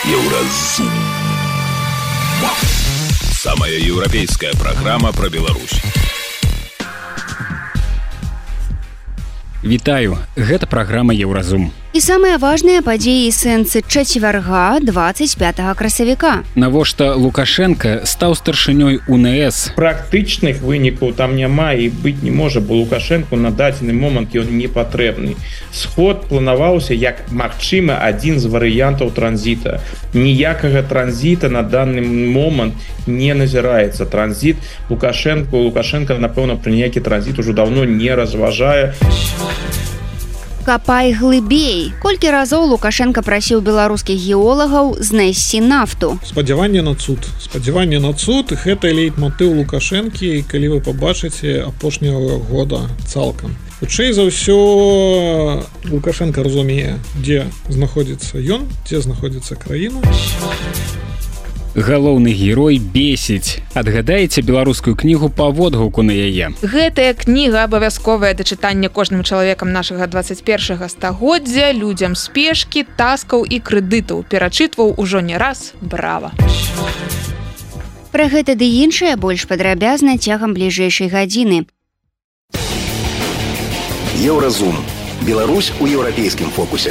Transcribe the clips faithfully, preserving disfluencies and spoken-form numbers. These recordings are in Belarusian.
Еўразум. Самая еўрапейская программа про Беларусь. Вітаю, гэта праграма Еўразум. І самыя важныя падзеі і сэнсы чацвярга двадцать пятага красавіка. Навошта Лукашенко стаў старшынёй У Н С? Практычных вынікаў там няма і быць не можа, бо Лукашенку на дадзены момант ён не патрэбны. Сход планаваўся як магчымы адзін з варыянтаў транзіта. Ніякага транзіта на данный момант не назіраецца. Транзіт Лукашенко, Лукашенко, напэўна, пра ніякі транзіт ужо даўно не разважае. Капай глыбей. Колькі разоў Лукашенко прасіў беларускіх геолагаў знайсці нафту. Спадзяванне на цуд. Спадзяванне на цуд – гэта лейтмотыў Лукашэнкі, калі вы пабачыце апошняга года цалкам. Хутчэй за ўсё Лукашенко разумее, дзе знаходзіцца ён, дзе знаходзіцца краіна. Галоўны герой бесіць. Адгадаеце беларускую кнігу па водгуку на яе. Гэтая кніга абавязковая да чытання кожным чалавекам нашага двадцать першага стагоддзя, людзям спешкі, таскаў і крэдытаў. Перачытваў ужо не раз. Брава! Пра гэта ды іншае больш падрабязна цягам бліжэйшай гадзіны. Еўразум. Беларусь у еўрапейскім фокусе.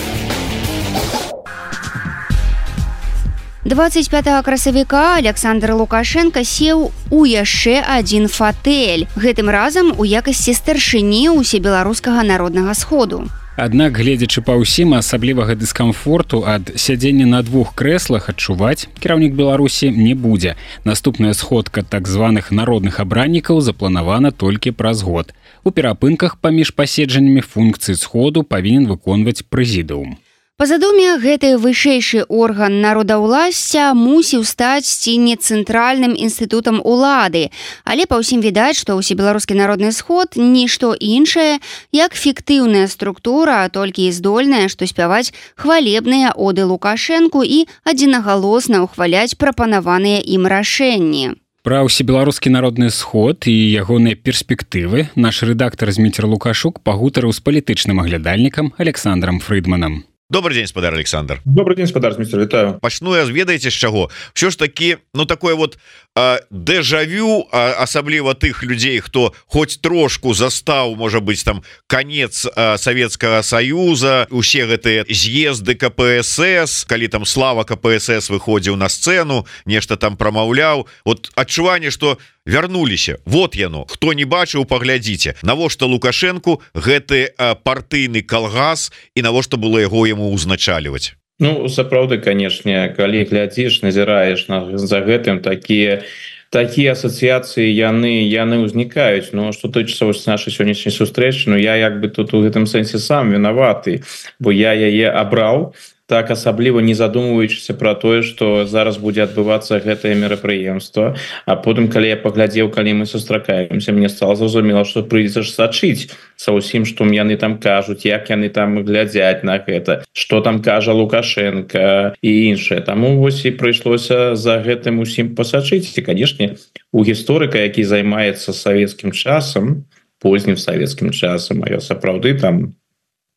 двадцать пятага красавіка Александр Лукашенко сеў у яшчэ адзін фатэль. Гэтым разам у якасці старшыні ўсебеларускага народнага сходу. Аднак, гледзячы па ўсім, асаблівага дыскамфорту ад сядзення на двух крэслах адчуваць кіраўнік Беларусі не будзе. Наступная сходка так званых народных абраннікаў запланавана толькі праз год. У перапынках паміж паседжаннямі функцыі сходу павінен выконваць прэзідыум. Па задуме, гэты вышэйшы орган народаўласця мусіў стаць ці не цэнтральным інстытутам улады, але па ўсім відаць, што ўсебеларускі народны сход нішто іншае, як фіктыўная структура, толькі і здольная, што спяваць хвалебныя оды Лукашэнку і адзінагалосна ўхваляць прапанаваныя ім рашэнні. Пра ўсебеларускі народны сход і ягоныя перспектывы наш рэдактар Зміцер Лукашук пагутарыў з палітычным аглядальнікам Александром Фрыдманам. Добрый день, спадар Александр. Добрый день, спадар Зміцер, вітаю. Пачну я, ведаеце, з чаго? Всё ж таки, ну такое вот э, дэжавю, э, асабліва тых людзей, хто хоць трошку застаў, можа быць, там канец э, Савецкага Саюза, усе гэтыя з'езды Ка Пэ Эс Эс, калі там Слава Ка Пэ Эс Эс выходзіў на сцэну, нешта там прамаўляў, вот адчуванне, што вярнуліся. Вот яно. Хто не бачыў, паглядзіце. Навошта Лукашенку гэты э, партыйны калгас і навошта было яго яму узначальваць? Ну, сапраўды, канешне, калі глядзіш, назіраеш на, за гэтым такія такія асацыяцыі яны яны ўзнікаюць. Но што тычыцца вось нашай сённяшняй сустрэчы, ну я як бы тут у гэтым сэнсе сам вінаваты, бо я яе абраў, так асабліва не задумваючыся пра тое, што зараз будзе адбывацца гэтае мерапрыемства. А потым, калі я паглядзеў, калі мы сустракаемся, мне стала зразумела, што прыйдзецца ж сачыць са ўсім, што яны там кажуць, як яны там глядзяць на гэта, што там кажа Лукашенко і іншае. Таму вось і прыйшлося за гэтым усім пасачыць. І, канешне, у гісторыка, які займаецца савецкім часам, познім савецкім часам, а я сапраўды там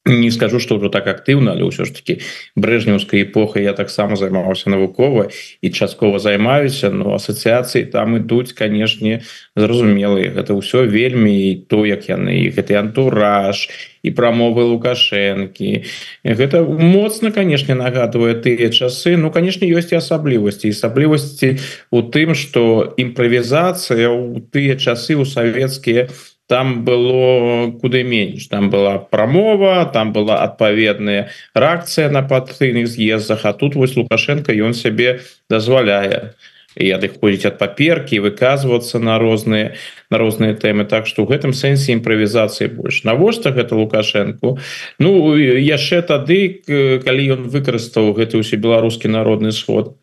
не скажу, што ўжо так актыўна, але ўсё ж таки брэжнеўскай эпохай я таксама займаўся навукова і часткова займаюся, но асацыяцыі там ідуць, канешне, зразумелыя. Гэта ўсё вельмі і то, як яны, і гэты антураж, і прамовы Лукашэнкі. Гэта моцна, канешне, нагадвае тыя часы. Ну, канешне, ёсць і асаблівасці. Асаблівасці у тым, што імправізацыя ў тыя часы ў савецкія там было куды менш. Там была прамова, там была адпаведная рэакцыя на партыйных з'ездах, а тут вось Лукашенко ён сябе дазваляе і адыходзіць ад паперкі, выказвацца на розныя на розныя тэмы. Так што ў гэтым сэнсе імправізацыі больш. Навошта гэта Лукашенку? Ну, яшчэ тады, калі ён выкарыстаў гэты ўсебеларускі народны сход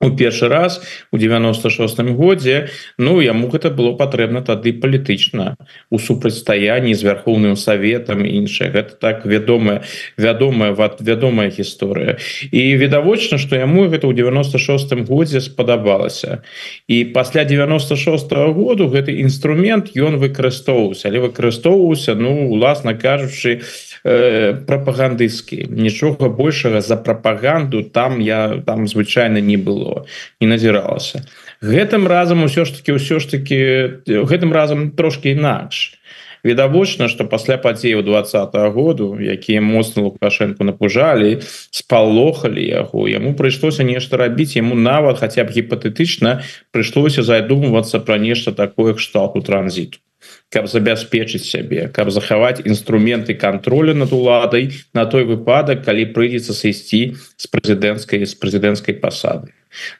у першы раз у девяносто шостым годзе, ну яму гэта было патрэбна тады палітычна у супрацьстаянні з вярхоўным саветам і іншае. Гэта так вядомая вядомая вядомая гісторыя. І відавочна, што яму гэта ў девяносто шостым годзе спадабалася. І пасля девяносто шостага году гэты інструмент ён выкарыстоўваўся, але выкарыстоўваўся, ну уласна кажучы, э, прапагандысцкі. Нічога большага за прапаганду там я там звычайна не было, не назіралася. Гэтым разам усё ж таки ўсё ж таки гэтым разам трошки інакш. Відавочна, што пасля падзеяў двадцатого году, якія моцна Лукашенко напужалі, спалохалі яго, яму прыйшлося нешта рабіць, яму нават хаця б гіпатэтычна прыйшлося задумвацца пра нешта такое кшталту транзіту, каб забяспечыць сябе, каб захаваць інструменты контроля над уладай на той выпадак, калі прыйдзецца сысці з прэзідэнцкай з прэзідэнцкай пасады.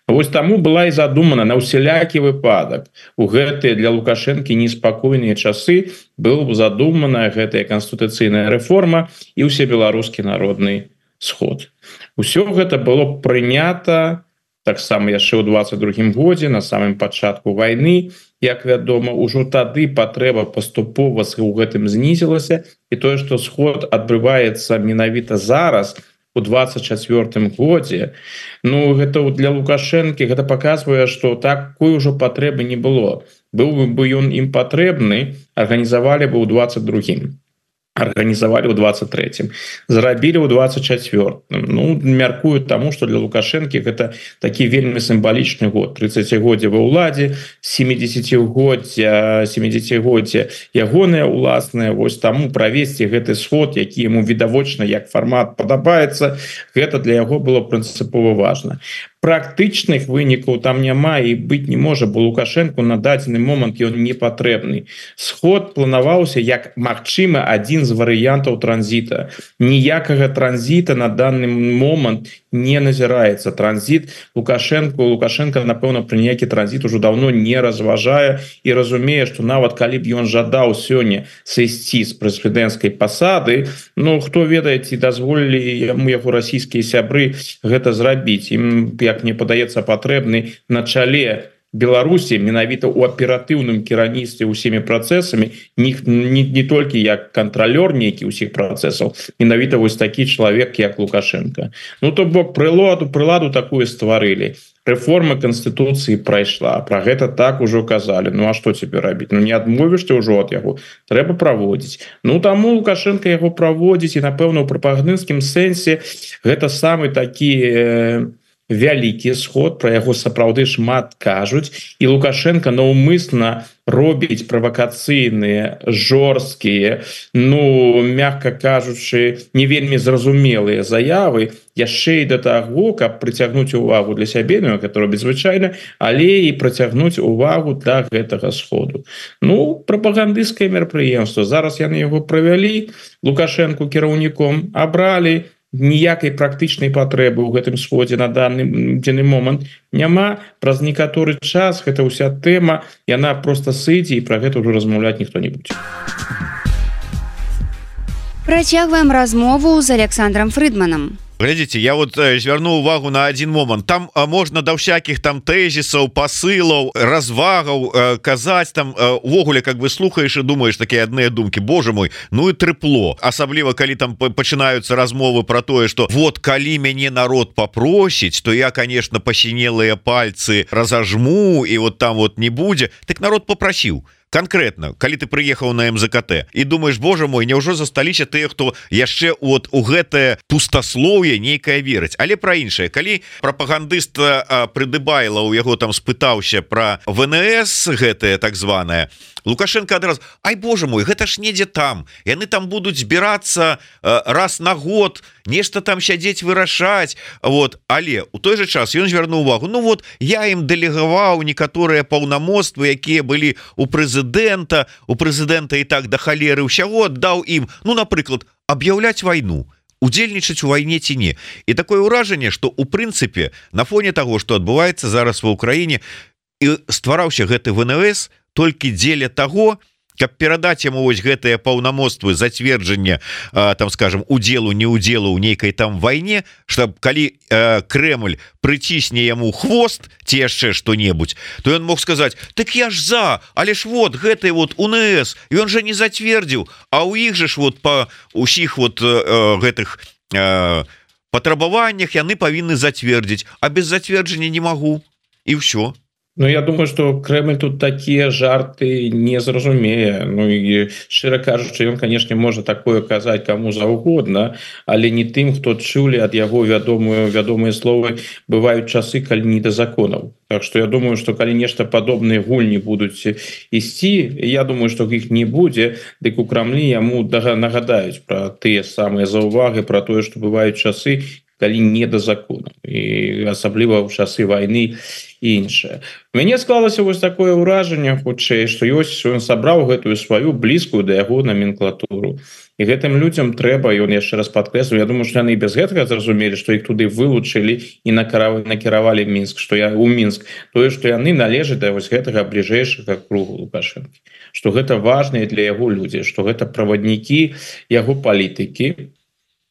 Вось таму была і задумана на ўсялякі выпадак. У гэтыя для Лукашэнкі неспакойныя часы была задумана гэтая канстытуцыйная рэформа і ўсебеларускі народны сход. Усё гэта было прынята таксама яшчэ ў двадцать другім годзе, на самым пачатку вайны. Як вядома, ужо тады патрэба паступова ў гэтым знізілася, і тое, што сход адбываецца менавіта зараз, у двадцать четвёртым годзе, ну гэта для Лукашэнкі гэта паказвае, што такой ужо патрэбы не было. Быў бы ён ім патрэбны, арганізавалі бы ў двадцать другім. Арганізавалі ў двадцать трэцім, зрабілі ў двадцать четвёртым. Ну, мяркую таму, што для Лукашэнкі гэта такі вельмі сімвалічны год. тридцатігоддзе ва ўладзе, сямідзесяцігоддзе, сямідзесяцігоддзе ягонае уласнае. Вось таму правесці гэты сход, які яму відавочна як фармат падабаецца, гэта для яго было прынцыпова важна. Практычных вынікаў там няма і быць не можа, бо Лукашенку на дадзены момант ён не патрэбны. Сход планаваўся як магчымы адзін з варыянтаў транзіта. Ніякага транзіта на данный момант не назіраецца. Транзіт Лукашенко, Лукашенко, напэўна, пры ніякі транзіт ужо даўно не разважае і разумее, што нават калі б ён жадаў сёння сысці з прэзідэнцкай пасады, ну, хто ведае, ці дазволілі яму яго расійскія сябры гэта зрабіць. Ім, як мне падаецца, патрэбны на чале Беларусі менавіта ў аператыўным кіраўніцтве ўсімі працэсамі, не, не, не толькі як кантралёр нейкі ўсіх працэсаў, менавіта вось такі чалавек, як Лукашенко. Ну, то бок прыладу, прыладу такую стварылі. Рэформа Канстытуцыі прайшла, пра гэта так ужо казалі. Ну, а што цяпер рабіць? Ну, не адмовішся ўжо ад яго, трэба праводзіць. Ну, таму Лукашенко яго праводзіць, і, напэўна, у прапагандысцкім сэнсе гэта самы такі э, вялікі сход, пра яго сапраўды шмат кажуць, і Лукашенко наўмысна робіць правакацыйныя, жорсткія, ну, мякка кажучы, не вельмі зразумелыя заявы, яшчэ і да таго, каб прыцягнуць увагу для сябе, ну, гэта робіць звычайна, але і прыцягнуць увагу да гэтага сходу. Ну, прапагандысцкае мерапрыемства. Зараз яны яго правялі, Лукашенко кіраўніком абралі, ніякай практычнай патрэбы ў гэтым сходзе на данный дзены момант няма. Праз некаторы час гэта ўся тэма, яна проста сыдзе, і пра гэта ўжо размаўляць ніхто не будзе. Працягваем размову з Александром Фрыдманам. Глядзіце, я вот э, звярну увагу на один момант. Там э, можна да всяких там тэзісаў, пасылаў, развагаў э, казаць там э, увогуле, как бы слухаеш і думаеш такія адныя думкі. Боже мой, ну і трыпло. Асабліва калі там пачынаюцца размовы про тое, что вот калі мяне народ попросіць, то я, конечно, пасінелыя пальцы разажму і вот там вот не будзе. Так народ попрасіў. Конкретно, калі ты прыехаў на эм зэ ка тэ і думаешь, Боже мой, няўжо засталіся тыя, хто яшчэ от у гэтае пустаслоўе нейкае верыць. Але пра іншае, калі прапагандыст Прыдыбайла у яго там спытаўся пра вэ эн эс гэтае так званае, Лукашенко адразу: ай, Боже мой, гэта ж недзе там, яны там будуць збірацца раз на год, нешта там сядзець вырашаць. Вот, але у той же час ён звярнуў увагу: ну вот я ім дэлегаваў некаторыя паўнамоцтвы, якія былі у прэзідэнта, у прэзідэнта і так да халеры ўсяго аддаў ім, ну, напрыклад, аб'яўляць вайну, удзельнічаць у вайне ці не. І такое ўражанне, што у прынцыпе на фоне таго, што адбываецца зараз ва ўкраіне, і ствараўся гэты вэ эн эс толькі дзеля таго, каб перадаць яму вось гэтыя паўнамоцтвы зацверджання, там, скажем, удзелу не удзелу ў нейкай там вайне, што калі э, Крэмль прыцісне яму хвост ці яшчэ што-небудзь, то ён мог сказаць: так я ж за, але ж вот гэты вот у эн эс ён жа не зацвердзіў, а ў іх же ж вот па усіх вот э, гэтых э, патрабаваннях яны павінны зацвердзіць, а без зацверджання не магу, і ўсё. Ну, я думаю, что Кремль тут такие жарты не зразумее. Ну и шчыра кажучы, ён, конечно, можа такое казаць кому заўгодна, але не тым, хто чулі ад яго вядомую вядомыя словы бываюць часы, калі не да законаў. Так что я думаю, что калі нешта падобныя гульні будуць ісці, я думаю, что іх не будзе, дык у Крамлі яму нагадаюць пра тыя самыя заўваги, пра тое, што бываюць часы, калі не да закону, і асабліва ў часы вайны і іншае. Мяне склалася вось такое ўражанне, хутчэй, што ёсць ён сабраў гэтую сваю блізкую да яго номенклатуру. І гэтым людзям трэба, ён яшчэ раз падкрэслю, я думаю, што яны без гэтага зразумелі, што іх туды вылучылі і накіравалі Мінск, што я у Мінск, тое, што яны належаць да вось гэтага бліжэйшага кругу Лукашэнкі, што гэта важныя для яго людзі, што гэта праваднікі яго палітыкі.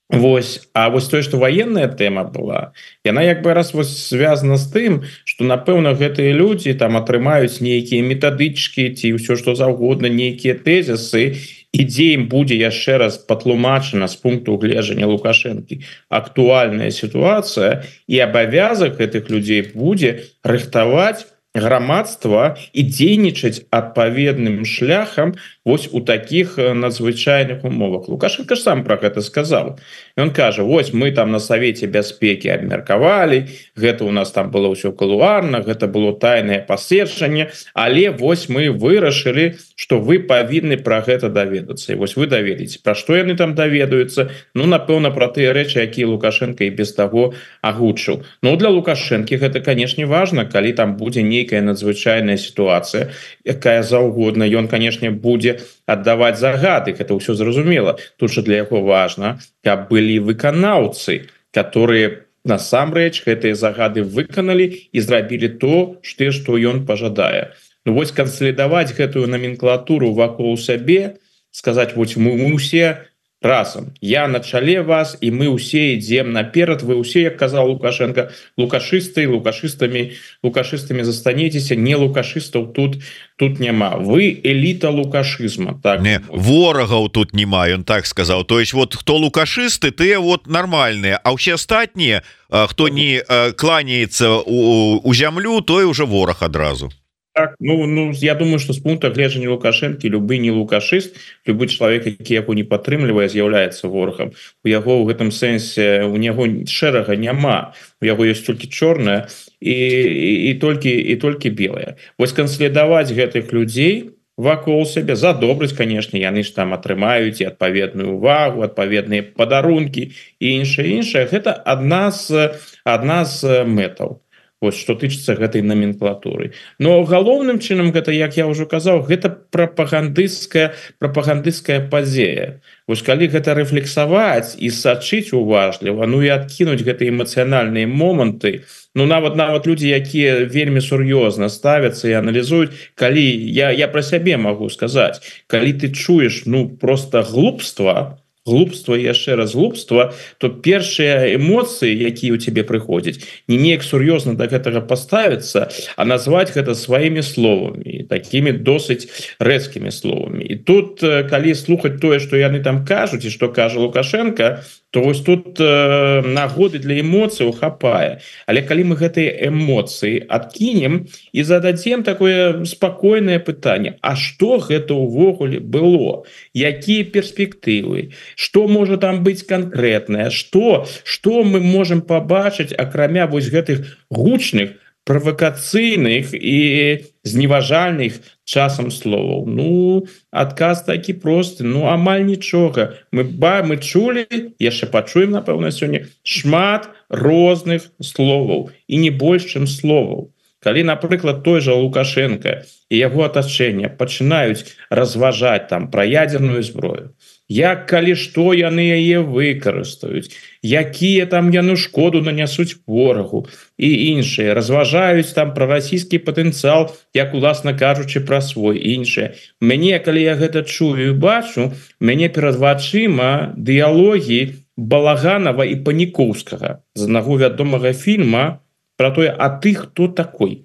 Вось, а вось тое, што ваенная тэма была, яна як бы раз вось звязана з тым, што напэўна гэтыя людзі там атрымаюць нейкія метадычкі ці ўсё што заўгодна, нейкія тэзісы, і дзе ім будзе яшчэ раз патлумачана з пункту гледжання Лукашэнкі актуальная сітуацыя, і абавязак гэтых людзей будзе рыхтаваць грамадства і дзейнічаць адпаведным шляхам вось у таких надзвычайных умовах. Лукашенко ж сам про гэта сказал. Ён кажа, вось мы там на Савеце бяспекі абмеркавалі, гэта у нас там было ўсё кулуарна, гэта было тайнае паседжанне, але вось мы вырашылі, што вы павінны пра гэта даведацца. І вось вы даведзеце, пра што яны там даведаюцца, ну напэўна пра тыя рэчы, якія Лукашенко і без таго агучыў. Ну для Лукашэнкі гэта, канешне, важна, калі там будзе нейкая надзвычайная сітуацыя, якая заўгодна, ён, канешне, будзе аддаваць загады, гэта ўсё зразумела. Тут жа для яго важна, каб былі выканаўцы, которые насамрэч гэтыя загады выканалі і зрабілі то, што ён пажадае. Ну вось кансалідаваць гэтую номенклатуру вакол сябе, сказаць, вось мы, мы усе разам, я на чале вас, і мы ўсе ідзем наперад, вы ўсе, як казаў Лукашенко, лукашысты, лукашыстамі, лукашыстамі застанецеся, не лукашыстаў тут тут няма. Вы эліта лукашызма. Так? Не, ворагаў тут няма, ён так сказаў. То есть вот хто лукашысты, тыя вот нармальныя, а ўсе астатнія, хто не кланяецца у, у зямлю, той уже вораг адразу. Так, ну, ну я думаю, что с пункта гледжання Лукашэнкі любы не лукашыст, любы чалавек, які яго не падтрымлівае, з'яўляецца ворагам. У яго ў гэтым сэнсе у яго шэрага няма, у яго ёсць толькі чорная і, і, і толькі і толькі белая. Вось кансалідаваць гэтых людзей вакол сябе за добрасць, канешне, яны ж там атрымаюць і адпаведную увагу, адпаведныя падарункі і іншае іншае. Гэта адна з адна з мэтаў. Вось, што тычыцца гэтай номенклатуры. Но галоўным чынам гэта, як я ўжо казаў, гэта прапагандысцкая прапагандысцкая падзея. Вось калі гэта рэфлексаваць і сачыць уважліва, ну і адкінуць гэтыя эмацыянальныя моманты, ну нават нават людзі, якія вельмі сур'ёзна ставяцца і аналізуюць, калі я, я пра сябе магу сказаць, калі ты чуеш ну проста глупства, глупства і яшчэ раз глупства, то першыя эмоцыі, якія ў цябе прыходзяць, не неяк сур'ёзна да гэтага паставіцца, а назваць гэта сваімі словамі, такімі досыць рэзкімі словамі. І тут, калі слухаць тое, што яны там кажуць і што кажа Лукашенко, то вось тут э, нагоды для эмоцыяў хапае. Але калі мы гэтыя эмоцыі адкінем і зададзем такое спакойнае пытанне, а што гэта ўвогуле было? Якія перспектывы? Што можа там быць канкрэтнае? Што, што мы можам пабачыць, акрамя вось гэтых гучных, правакацыйных і зневажальных часам словаў? Ну, адказ такі просты, ну амаль нічога. Мы ба мы чулі, яшчэ пачуем, напэўна, сёння шмат розных словаў і не больш, чым словаў. Калі, напрыклад, той жа Лукашенко і яго атачэнне пачынаюць разважаць там пра ядзерную зброю, як калі што яны яе выкарыстаюць, якія там яны шкоду нанясуць ворагу і іншыя, разважаюць там пра расійскі патэнцыял, як уласна кажучы пра свой іншыя. Мяне, калі я гэта чую і бачу, мяне перад вачыма дыялогі Балаганова і Панікоўскага з аднаго вядомага фільма про тое, а ты хто такой?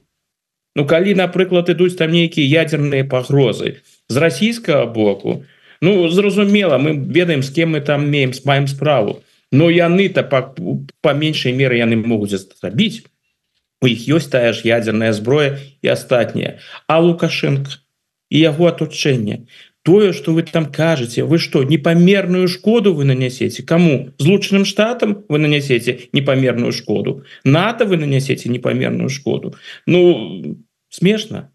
Ну, калі, напрыклад, ідуць там нейкія ядзерныя пагрозы з расійскага боку, ну, зразумела, мы ведаем, з кем мы там маем, маем справу, но яны-то па, па меншай меры яны могуць зрабіць. у іх ёсць тая ж ядерная зброя і астатняе. А Лукашенко і яго аточэнне, тое, што вы там кажаце, вы што, непамерную шкоду вы нанясеце? Каму? Злучаным Штатам вы нанясеце непамерную шкоду? НАТО вы нанясеце непамерную шкоду? Ну, смешна.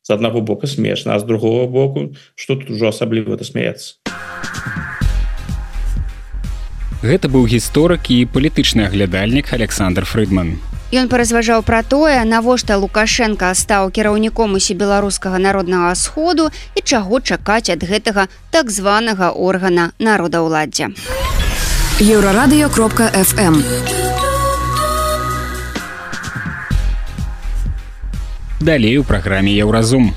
З аднаго боку смешна, а з другого боку, што тут ужо асабліва-то смяяцца? Гэта быў гісторык і палітычны аглядальнік Александр Фрыдман. Ён паразважаў пра тое, навошта Лукашенко стаў кіраўніком усебеларускага народнага сходу і чаго чакаць ад гэтага так званага органа народаўладдзя. Еўрарадыё кропка эф эм. Далей у праграме Еўразум.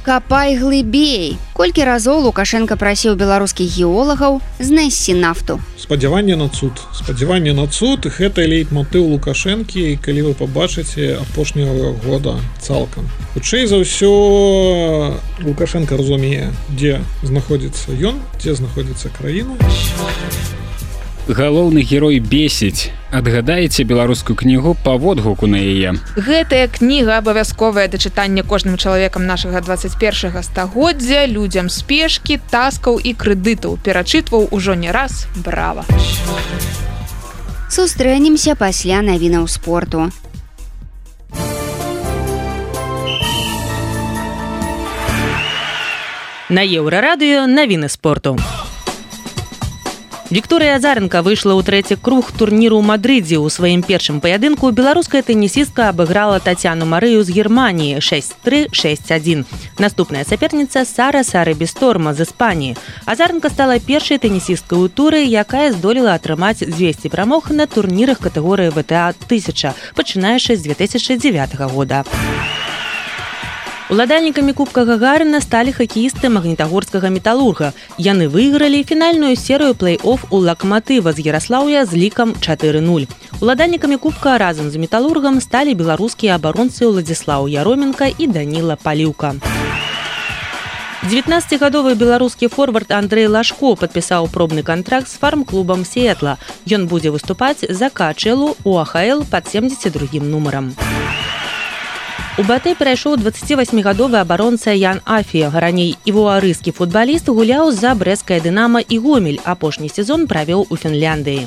Капай глыбей. Колькі разоў Лукашенко прасіў беларускіх геолагаў знайсці нафту. Спадзяванне на цуд. Спадзяванне на цуд – гэта лейтмотыў Лукашэнкі, калі вы пабачыце апошняга года цалкам. Хутчэй за ўсё Лукашенко разумее, дзе знаходзіцца ён, дзе знаходзіцца краіна. Галоўны герой бесіць. Адгадаеце беларускую кнігу па водгуку на яе. Гэтая кніга абавязковая да чытання кожным чалавекам нашага двадцать першага стагоддзя, людзям спешкі, таскаў і крэдытаў. Перачытваў ужо не раз. Брава! Сустрэнемся пасля навінаў спорту. На Еўрарадыё навіны спорту. Вікторыя Азаренка выйшла ў трэці круг турніру ў Мадрыдзе. У сваім першым паядынку беларуская тэнісістка абыграла Татьяну Марыю з Германіі шэсць тры шэсць адзін. Наступная саперніца Сара Сарыбісторма з Іспаніі. Азаренка стала першай тэнісісткай у туры, якая здолела атрымаць дзвесце перамог на турнірах катэгорыі вэ тэ а тысяча, пачынаючы з две тысячы дзевятага года. Уладальнікамі Кубка Гагарына сталі хакеісты магнітагорскага металурга. Яны выйгралі фінальную серыю плэй-офф у Лакматыва з Яраслаўя з лікам чатыры нуль. Уладальнікамі Кубка разам з металургам сталі беларускія абаронцы Уладзіслаў Яроменка і Даніла Паліўка. дзевятнаццацігадовы беларускі форвард Андрэй Лашко падпісаў пробны кантракт з фарм-клубам Сіэтла. Ён будзе выступаць за Качэлу у а ха эл пад семдзесят другім нумарам. У Батэ перайшоў дваццацівасьмігадовы абаронца Ян Афі. Раней івуарыскі футбаліст гуляў за брэсцкае Дынама і Гомель. Апошні сезон правёў у Фінляндыі.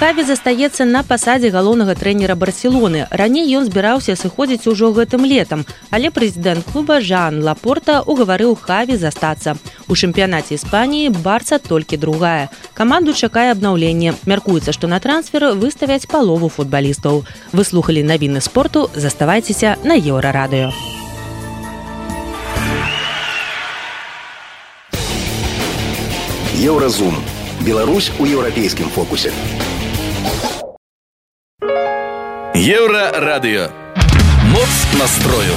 Хаві застаецца на пасадзе галоўнага трэнера Барселоны. Раней ён збіраўся сыходзіць ужо гэтым летам, але прэзідэнт клуба Жан Лапорта угаварыў Хаві застацца. У чэмпіянаце Іспаніі Барса толькі другая. Каманду чакае абнаўленне. Мяркуецца, што на трансфер выставяць палову футбалістаў. Вы слухалі навіны спорту, заставайцеся на Еўрарадыё. Еўразум. Беларусь у еўрапейскім фокусе. Еўрарадыё. Моц настрою.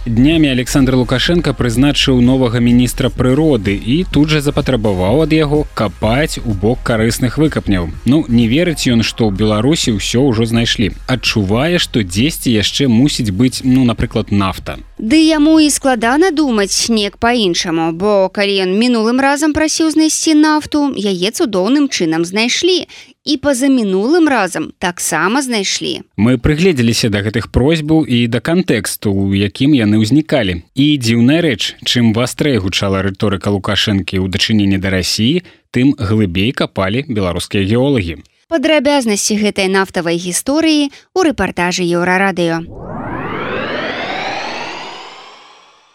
Днямі Александр Лукашенко прызначыў новага міністра прыроды і тут жа запатрабаваў ад яго капаць у бок карысных выкапняў. Ну, не верыць ён, што ў Беларусі ўсё ўжо знайшлі. Адчувае, што дзесьці яшчэ мусіць быць, ну, напрыклад, нафта. Ды яму і складана думаць неяк па-іншаму, бо калі ён мінулым разам прасіў знайсці нафту, яе цудоўным чынам знайшлі. І пазамінулым разам таксама знайшлі. Мы прыгледзеліся да гэтых просьбаў і да кантэксту, у якім яны ўзнікалі. І дзіўная рэч, чым вастрэй гучала рыторыка Лукашэнкі ў дачыненні да Расіі, тым глыбей капалі беларускія геолагі. Падрабязнасці гэтай нафтавай гісторыі ў рэпартажы Еўрарадыё.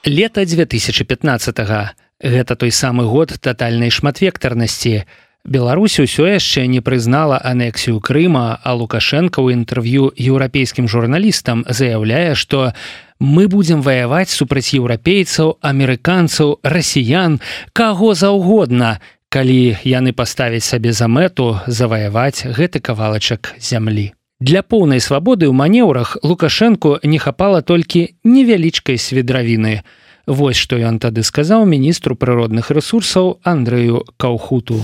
Лета две тысячи пятнадцатага. Гэта той самы год татальнай шматвектарнасці. Беларусь усё яшчэ не прызнала анексію Крыма, а Лукашенко ў інтэрв'ю еўрапейскім журналістам заяўляе, што мы будзем ваяваць супраць еўрапейцаў, амерыканцаў, расіян, каго заўгодна, калі яны паставяць сабе за мэту заваяваць гэты кавалачак зямлі. Для поўнай свабоды ў манеўрах Лукашенку не хапала толькі невялічкай свідравіны. Вось што ён тады сказаў міністру прыродных ресурсаў Андрэю Каўхуту.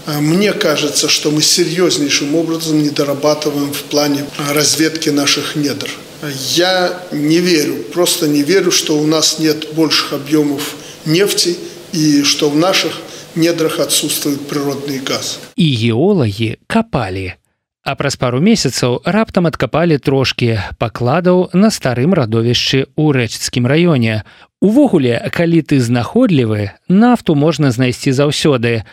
Мне кажется, что мы серьезнейшим образом не дорабатываем в плане разведки наших недр. Я не верю, просто не верю, что у нас нет больших объемов нефти и что в наших недрах отсутствует природный газ. И геологи копали. А праз пару месяцаў раптам адкапалі трошкі пакладаў на старым радовішчы ў рэчыцкім раёне. Увогуле, калі ты знаходлівы, нафту можна знайсці заўсёды.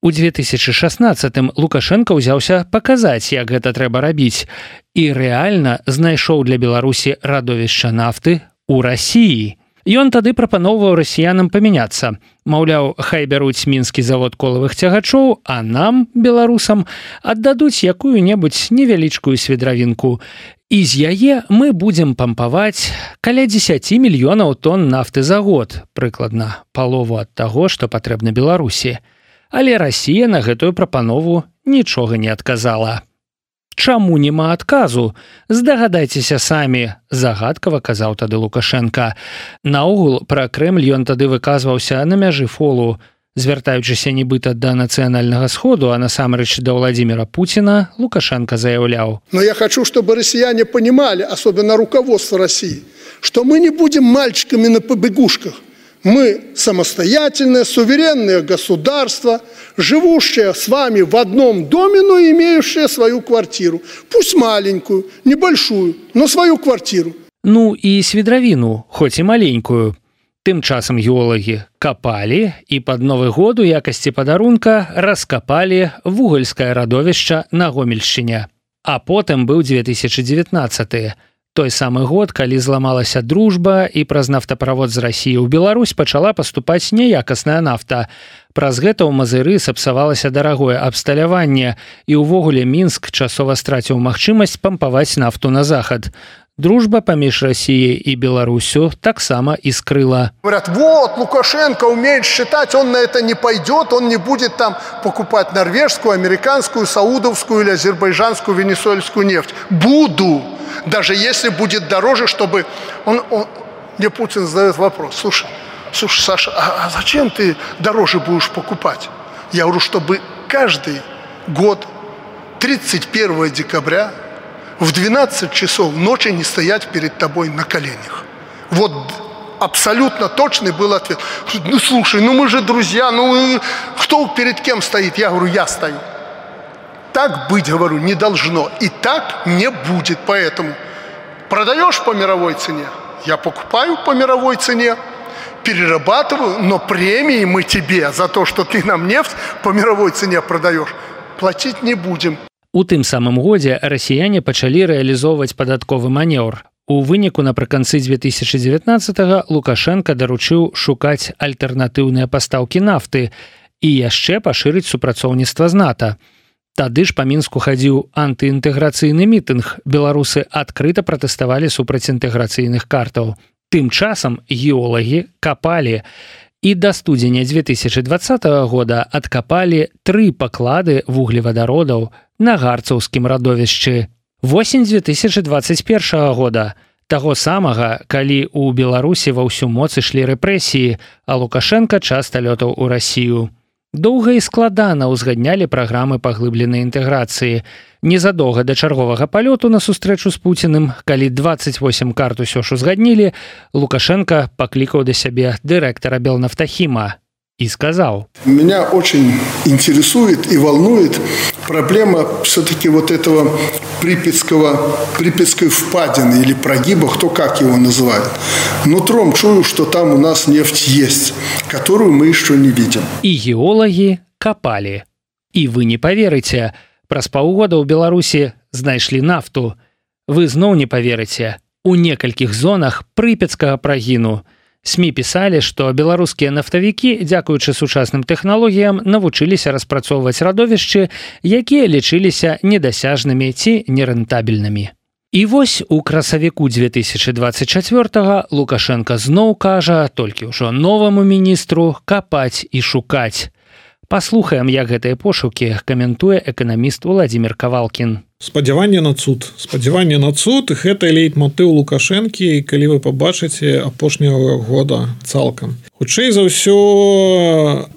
У две тысячы шаснаццатым Лукашенко ўзяўся паказаць, як гэта трэба рабіць, і рэальна знайшоў для Беларусі радовішча нафты ў Расіі. Ён тады прапаноўваў расіянам памяняцца. Маўляў, хай бяруць мінскі завод колавых цягачоў, а нам, беларусам, аддадуць якую-небудзь невялічкую свідравінку. І з яе мы будзем пампаваць каля дзесяць мільёнаў тонн нафты за год, прыкладна палову ад таго, што патрэбна Беларусі. Але Расія на гэтую прапанову нічога не адказала. Чаму няма адказу? Здагадайцеся самі, загадкава казаў тады Лукашенка. Наогул, пра Крэмль ён тады выказваўся на мяжы фолу, звяртаючыся нібыта да нацыянальнага сходу, а насамрэч да Владимира Путина, Лукашенко заявляў: «Но я хочу, чтобы россияне понимали, особенно руководство России, что мы не будем мальчиками на побегушках. Мы самостоятельное, суверенное государство, живущее с вами в одном доме, но имеющее свою квартиру. Пусть маленькую, небольшую, но свою квартиру». Ну і свідравіну, хоць і маленькую. Тым часам геолагі капалі і пад Новы год у якасці падарунка раскапалі вугальскае радовішча на Гомельшчыне. А потым быў две тысячы дзевятнаццаты. Той самы год, калі зламалася дружба і праз нафтаправод з Расіі ў Беларусь пачала паступаць няякасная нафта. Праз гэта ў Мазыры сапсавалася дарагое абсталяванне, і ўвогуле Мінск часова страціў магчымасць пампаваць нафту на захад. Дружба паміж Расіяй і Беларусю таксама іскрыла. Говорят, вот, Лукашенко умеет считать, он на это не пойдет, он не будет там покупать норвежскую, американскую, саудовскую или азербайджанскую, венесуэльскую нефть. Буду! Даже если будет дороже, чтобы... Он, он... Мне Путин задает вопрос: слушай, слушай, Саша, а, а зачем ты дороже будешь покупать? Я говорю, чтобы каждый год тридцать первого декабря в двенадцать часов ночи не стоять перед тобой на коленях. Вот абсолютно точный был ответ. Ну слушай, ну мы же друзья, ну кто перед кем стоит? Я говорю, я стою. Так быть, говорю, не должно. И так не будет. Поэтому продаешь по мировой цене, я покупаю по мировой цене, перерабатываю, но премии мы тебе за то, что ты нам нефть по мировой цене продаешь, платить не будем. У тым самым годзе расіяне пачалі рэалізоўваць падатковы манеўр. У выніку напрыканцы две тысячы дзевятнаццатага Лукашенко даручыў шукаць альтэрнатыўныя пастаўкі нафты і яшчэ пашырыць супрацоўніцтва з НАТО. Тады ж па Мінску хадзіў антыінтэграцыйны мітынг. Беларусы адкрыта пратэставалі супраць інтэграцыйных картаў. Тым часам геолагі капалі. І да студзеня две тысячы двадцатага года адкапалі тры паклады вуглевадародаў на гарцаўскім радовішчы. Восень две тысячы двадцать першага года, таго самага, калі ў Беларусі ва ўсю моц ішлі рэпрэсіі, а Лукашенко часта лётаў у Расію. Доўга і складана ўзгаднялі праграмы паглыбленай інтэграцыі. Незадоўга да чарговага палёту на сустрэчу з Пуціным, калі двадцать восемь карт усё ж узгаднілі, Лукашенко паклікаў да сябе дырэктара Белнафтахіма и сказал: «Меня очень интересует и волнует проблема все-таки вот этого Припятского, Припятской впадины или прогиба, кто как его называет. Нутром чую, что там у нас нефть есть, которую мы еще не видим». И геологи копали. И вы не поверите, праз паўгода ў Беларусі знайшлі нафту. Вы зноў не поверите, у некалькіх зонах Припятскага прагіну. СМИ писали, что беларускія нафтавікі, дзякуючы сучасным тэхналогіям, навучыліся распрацоўваць радовішчы, якія лічыліся недасяжнымі ці нерэнтабельнымі. І вось у красавіку две тысячи двадцать чацвёртага Лукашенко зноў кажа толькі ўжо новаму міністру капаць і шукаць. Паслухаем, як гэтыя пошукі каментуе эканаміст Владимир Кавалкін. Спадзяванне на цуд. Спадзяванне на цуд – гэта лейтмотыў Лукашэнкі, калі вы пабачыце апошняга года цалкам. Хутчэй за ўсё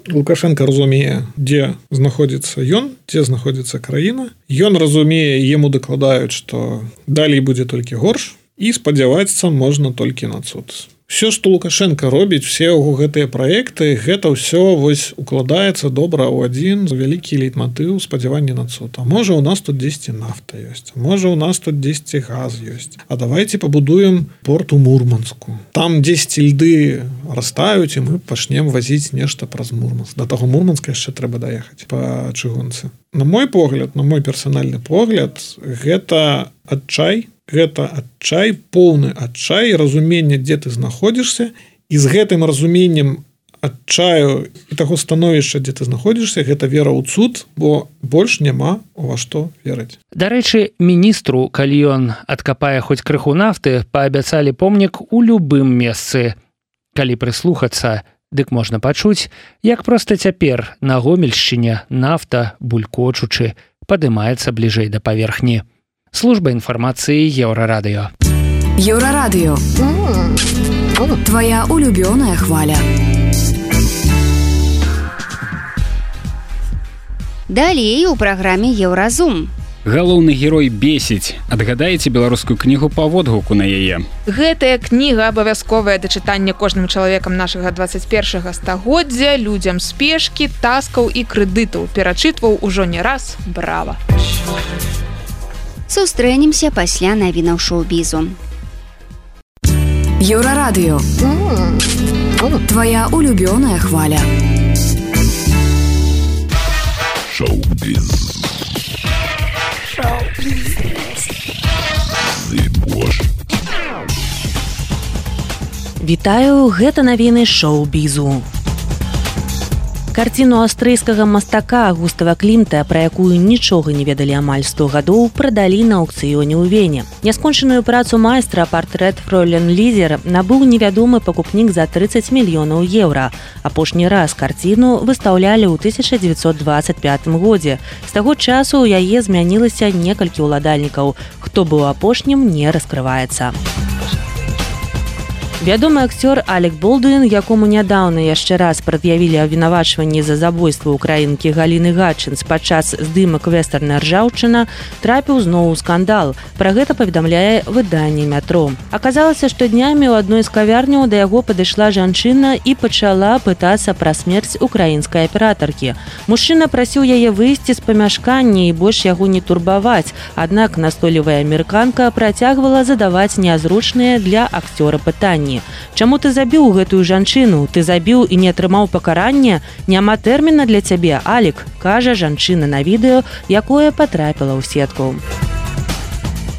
Лукашенко разумее, дзе знаходзіцца ён, дзе знаходзіцца краіна. Ён разумее, яму дакладаюць, што далей будзе толькі горш, і спадзявацца можна толькі на цуд. Все, што Лукашенко робіць, все яго гэтыя праекты, гэта ўсё вось укладаецца добра ў адзін вялікі лейтматыў спадзявання на цуд. А можа у нас тут дзесьці нафта ёсць, можа у нас тут дзесьці газ ёсць. А давайте пабудуем порт у Мурманску. Там дзесьці льды растаюць і мы пачнем вазіць нешта праз Мурманск. Да таго Мурманска яшчэ трэба даехаць па чыгунцы. На мой погляд, на мой персанальны погляд, гэта адчай, гэта адчай, поўны адчай, разуменне, дзе ты знаходзішся, і з гэтым разуменнем адчаю і таго становішча, дзе ты знаходзішся, гэта вера ў цуд, бо больш няма ува што верыць. Дарэчы, міністру, калі ён адкапае хоць крыху нафты, паабяцалі помнік у любым месцы. Калі прыслухацца, дык можна пачуць, як проста цяпер на Гомельшчыне нафта, булькочучы, падымаецца бліжэй да паверхні. Служба інфармацыі Еўрарадыё. Еўрарадыё. Твоя улюбёная хваля. Далей у праграме Еўразум. Галоўны герой бесіць. Адгадаеце беларускую кнігу па водгуку на яе. Гэтая кніга абавязковая да чытання кожным чалавекам нашага дваццаць першага стагоддзя, людзям спешкі, таскаў і крэдытаў. Перачытваў ужо не раз. Брава! Сустрэнемся пасля навінаў шоу-бізу. Еўрарадыё. Твоя улюбёная хваля. Шоу-біз. Шоу-біз. Вітаю, гэта навіны шоу-бізу. Карціну аўстрыйскага мастака Густава Клімта, пра якую нічога не ведалі амаль сто гадоў, прадалі на аўкцыёне ў Вене. Няскончаную працу майстра «Партрэт фройлен Лізер» набыў невядомы пакупнік за трыццаць мільёнаў еўра. Апошні раз карціну выстаўлялі ў тысяча дзевяцьсот дваццаць пятым годзе. З таго часу ў яе змянілася некалькі ўладальнікаў. Хто быў апошнім, не раскрываецца. Вядомы акцёр Алек Болдуін, якому нядаўна яшчэ раз прад'явілі абвінавачванні за забойства ўкраінкі Галіны Гатчынс падчас здымак вестэрна «Ржаўчына», трапіў зноў у скандал. Пра гэта паведамляе выданне «Метро». Аказалася, што днямі ў адной з кавярняў да яго падышла жанчына і пачала пытацца пра смерць украінскай аператаркі. Мужчына прасіў яе выйсці з памяшкання і больш яго не турбаваць, аднак настойлівая амерыканка працягвала задаваць нязручныя для акцёра пытанні. Чаму ты забіў гэтую жанчыну? Ты забіў і не атрымаў пакарання? Няма тэрміна для цябе, Алек, кажа жанчына на відэо, якое патрапіла ў сетку.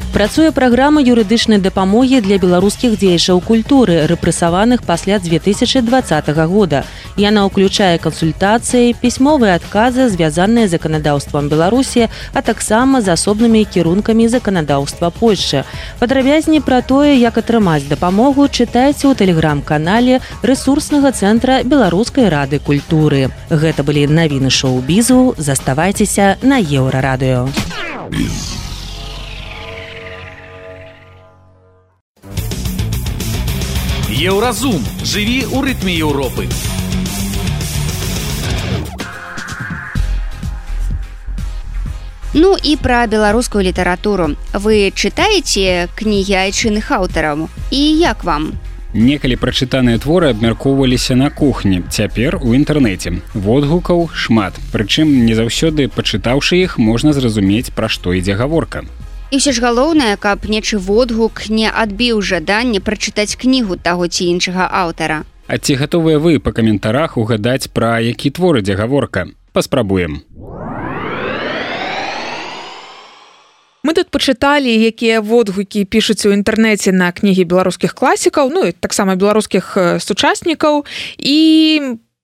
Працуе праграма юрыдычнай дапамогі для беларускіх дзеячаў культуры, рэпрэсаваных пасля дзве тысячы дваццатага года. Яна ўключае кансультацыі, пісьмовыя адказы, звязаныя з заканадаўствам Беларусі, а таксама з асобнымі кірункамі заканадаўства Польшчы. Падрабязней пра тое, як атрымаць дапамогу, чытайце ў тэлеграм-канале рэсурснага цэнтра Беларускай рады культуры. Гэта былі навіны шоу-бізу. Заставайцеся на Еўрарадыё. Еўразум. Жыві ў рытме Еўропы. Ну і пра беларускую літаратуру. Вы чытаеце кнігі айчынных аўтараў? І як вам? Некалі прачытаныя творы абмяркоўваліся на кухні, цяпер у інтэрнэце. Водгукаў шмат, прычым не заўсёды, пачытаўшы іх, можна зразумець, пра што ідзе гаворка. І ўсё ж галоўнае, каб нечы водгук не адбіў жаданне прачытаць кнігу таго ці іншага аўтара. А ці гатовыя вы па каментарах угадаць, пра які твор ідзе гаворка? Паспрабуем. Мы тут пачыталі, якія водгукі пішуць у інтэрнэце на кнігі беларускіх класікаў, ну і таксама беларускіх сучаснікаў, і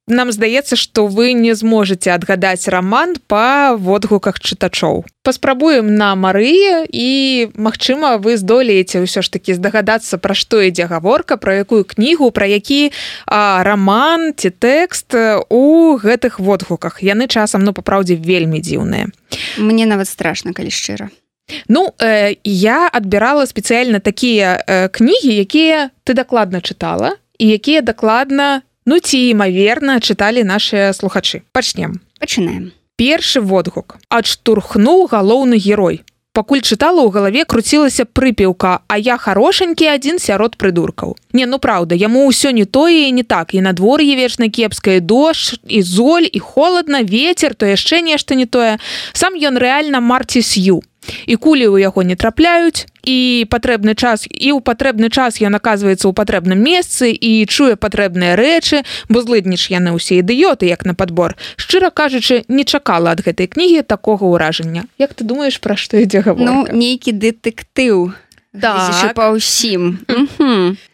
нам здаецца, што вы не зможаце адгадаць раман па водгуках чытачоў. Паспрабуем на Марыі, і, магчыма, вы здолееце ўсё ж такі здагадацца, пра што ідзе гаворка, пра якую кнігу, пра які а, раман ці тэкст у гэтых водгуках. Яны часам, ну, папраўдзе, вельмі дзіўныя. Мне нават страшна, калі шчыра. Ну, э, я адбірала спецыяльна такія э, кнігі, якія ты дакладна чытала, і якія дакладна, ну ці імаверна, чыталі нашыя слухачы. Пачнем. Пачынаем. Першы водгук. Адштурхнуў галоўны герой. пакуль чытала, у галаве круцілася прыпеўка, а я харошенькі адзін сярод прыдуркаў. Не, ну праўда, яму ўсё не тое і не так, і надвор'е вечна кепскае, дождж, і золь, і холадна, ветер, то яшчэ нешта не тое. Сам ён рэальна Марці Сью. І кулі ў яго не трапляюць, і патрэбны час, і ў патрэбны час ён аказваецца ў патрэбным месцы і чуе патрэбныя рэчы, бо злыдніш яны ўсе ідыёты, як на падбор. Шчыра кажучы, не чакала ад гэтай кнігі такога ўражання. Як ты думаеш, пра што ідзе гаворка? Ну, нейкі дэтэктыў. Так. Па ўсім.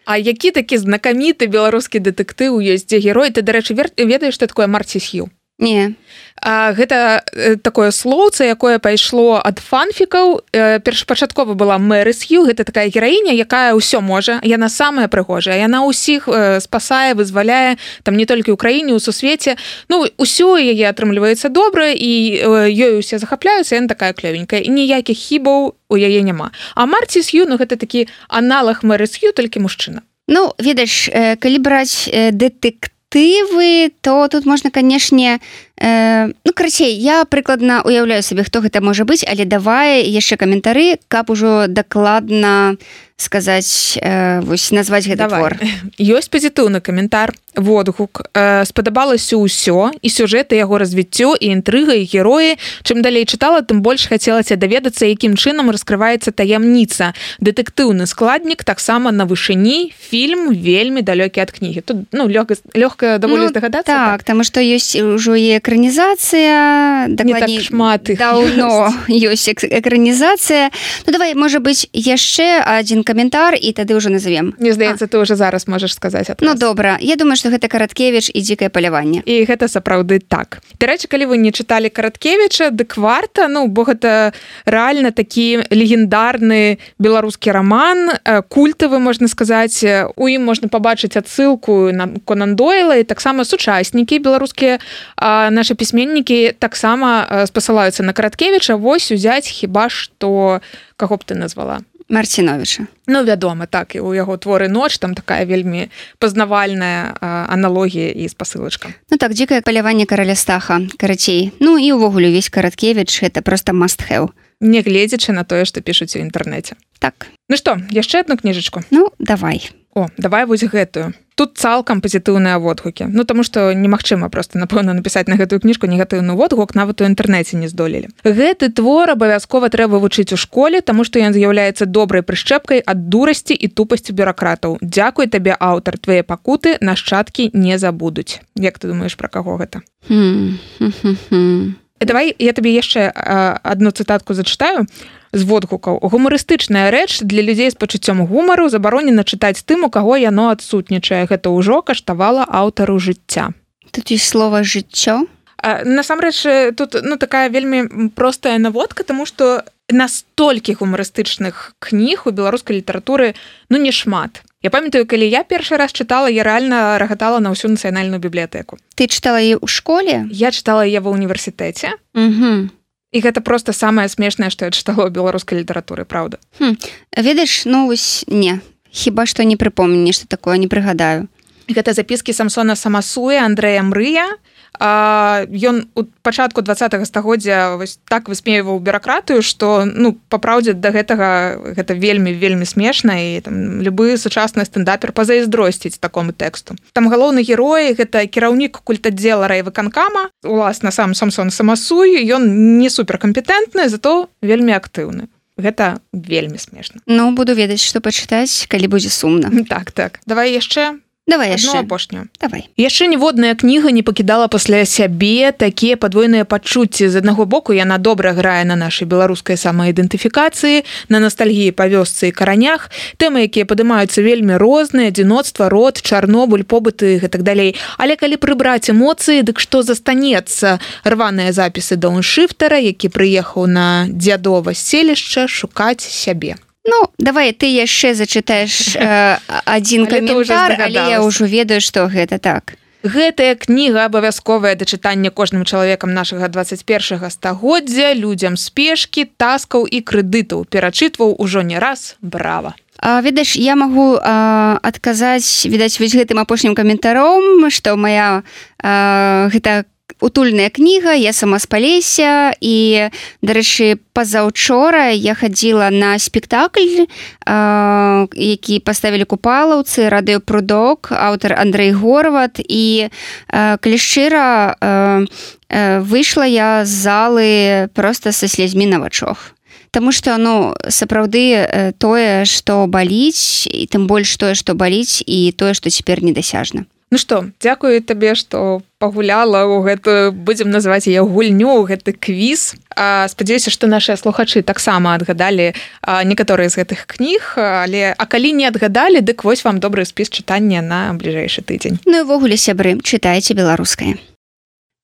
А які такі знакаміты беларускі дэтэктыў ёсць, дзе герой? Ты, дарэчы, ведаеш, што такое Марці Сью? Не. А, гэта такое слоўца, якое пайшло ад фанфікаў. Першапачаткова была Мэры Сью, гэта такая гераіня, якая ўсё можа, яна самая прыгожая, яна ўсіх спасае, вызваляе, там не толькі ў краіне, у сусвеце. Ну, усё яе атрымліваецца добра, і ёй усе захапляюцца, яна такая клёвенькая, і ніякіх хібаў у яе няма. А Марці Сью, ну, гэта такі аналаг Мэры Сью, толькі мужчына. Ну, ведаеш, калі браць дэтэктыў, Тывы, то тут можна, канешне, э, ну, карацей, я прыкладна уяўляю сабе, хто гэта можа быць, але давай яшчэ каментары, каб ужо дакладна сказаць, э, вось, назваць гэты твор. Ёсць пазітыўны каментар, водгук. Э, спадабалася ўсё, і сюжэты яго развіццё, і інтрыга, і героі. Чым далей чытала, тым больш хацелася даведацца, якім чынам раскрываецца таямніца. Дэтэктыўны складнік таксама на вышыні, фільм вельмі далёкі ад кнігі. Тут, ну, лёгка, лёгка даволі ну, здагадацца. Так, таму што ёсць ужо і экранізацыя, не дакладней, так шмат іх даўно ёсць экранізацыя. Ну, давай, можа быць, яшчэ адзін каментар, і тады ўжо назовем. Мне здаецца, ты ўжо зараз можаш сказаць адказ. Ну, добра. Я думаю, што гэта Караткевіч і дзікае паляванне. І гэта сапраўды так. Дарэчы, калі вы не чыталі Караткевіча, дык варта, ну, бо гэта рэальна такі легендарны беларускі раман, культавы, можна сказаць. У ім можна пабачыць адсылку на Конан Дойла, і таксама сучаснікі беларускія, нашы пісьменнікі таксама спасылаюцца на Караткевіча. Вось узяць хіба што, каго б ты назвала? Марціновіча. Ну, вядома, так, і у яго творы ноч, там такая вельмі пазнавальная а, аналогія і спасылачка. Ну так, дзікае паляванне караля Стаха, карацей. Ну і ўвогуле увесь Караткевіч, гэта проста must have. Не гледзячы на тое, што пішуць у інтэрнэце. Так. Ну што, яшчэ адну кніжачку? Ну, давай. О, давай вось гэтую. Тут цалкам пазітыўныя водгукі. Ну, таму што немагчыма проста, напэўна, напісаць на гэтую кніжку негатыўны водгук, нават у інтэрнэце не здолелі. Гэты твор абавязкова трэба вучыць у школе, таму што ён з'яўляецца добрай прышчэпкай ад дурасці і тупасці бюракратаў. Дзякуй табе, аўтар, твае пакуты нашчадкі не забудуць. Як ты думаеш, пра каго гэта? Хм-хм-хм. Давай я табе яшчэ адну цытатку зачытаю з водгукаў. Гумарыстычная рэч для людзей з пачуццём гумару забаронена чытаць тым, у каго яно адсутнічае. Гэта ўжо каштавала аўтару жыцця. Тут ёсць слова жыццё? Насамрэч, тут ну, такая вельмі простая наводка, таму што настолькі гумарыстычных кніг у беларускай літаратуры ну не шмат. Я памятаю, калі я першы раз чытала, я рэальна рагатала на ўсю нацыянальную бібліятэку. Ты чытала яе ў школе? Я чытала яе ва ўніверсітэце. Угу. І гэта проста самае смешнае, што я чытала ў беларускай літаратуры, праўда. Хм. Ведаеш, ну вось не. Хіба што не прыпомню нешта такое, не прыгадаю. Гэта запіскі Самсона Самасуя, Андрэя Мрыя. А, ён у пачатку двадцатага стагоддзя вось так высмейваў бюракратыю, што ну па праўдзе да гэтага гэта вельмі вельмі смешна, і там любы сучасны стендапер пазайздросціць такому тэксту. Там галоўны герой гэта кіраўнік культаддзела райвыканкама, уласна сам Самсон Самасуй, ён не суперкампетэнтны, зато вельмі актыўны. Гэта вельмі смешна. Ну, буду ведаць, што пачытаць, калі будзе сумна. Так, так. Давай яшчэ Давай яшчэ. Одну апошнюю. Давай. Яшчэ ніводная кніга не пакідала пасля сябе такія падвойныя пачуцці. З аднаго боку, яна добра грае на нашай беларускай самаідэнтыфікацыі, на настальгіі па вёсцы і каранях. Тэмы, якія падымаюцца вельмі розныя, адзіноцтва, род, Чарнобыль, побыты і гэтак далей. Але калі прыбраць эмоцыі, дык што застанецца? Рваныя запісы дауншыфтара, які прыехаў на дзядова селішча шукаць сябе. Ну, давай ты яшчэ зачытаеш э, адзін каментар, але я ўжо ведаю, што гэта так. Гэтая кніга абавязковая да чытання кожным чалавекам нашага дваццаць першага стагоддзя, людзям спешкі, таскаў і крэдытаў. Перачытваў ужо не раз. Брава. А, ведаеш, я магу а, адказаць, відаць, вось гэтым апошнім каментаром, што моя а, гэта утульная кніга, я сама з Палесся, і, дарэчы, пазаўчора я хадзіла на спектакль, э, які паставілі купалаўцы, радыёпрудок, аўтар Андрэй Горват, і, э, калі шчыра, э, э, выйшла я з залы проста са слязьмі на вачах. Таму што, ну, сапраўды тое, што баліць, і тым больш тое, што баліць, і тое, што цяпер недасяжна. Ну што, дзякую табе, што пагуляла ў гэтую, будзем называць яе гульню, ў гэты квіз. Спадзяюся, што нашыя слухачы таксама адгадалі некаторыя з гэтых кніг, але а калі не адгадалі, дык вось вам добры спіс чытання на бліжэйшы тыдзень. Ну і ўвогуле, сябры, чытайце беларускае.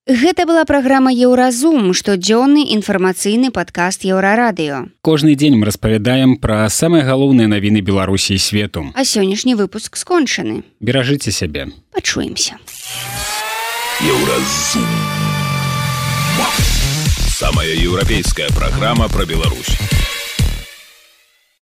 Гэта была праграма «Еўразум», штодзённы інфармацыйны падкаст «Еўрарадыё». Кожны дзень мы распавядаем пра самыя галоўныя навіны Беларусі і свету. А сённяшні выпуск скончаны. Беражыце сябе. Пачуемся. «Еўразум». Самая еўрапейская праграма пра Беларусь.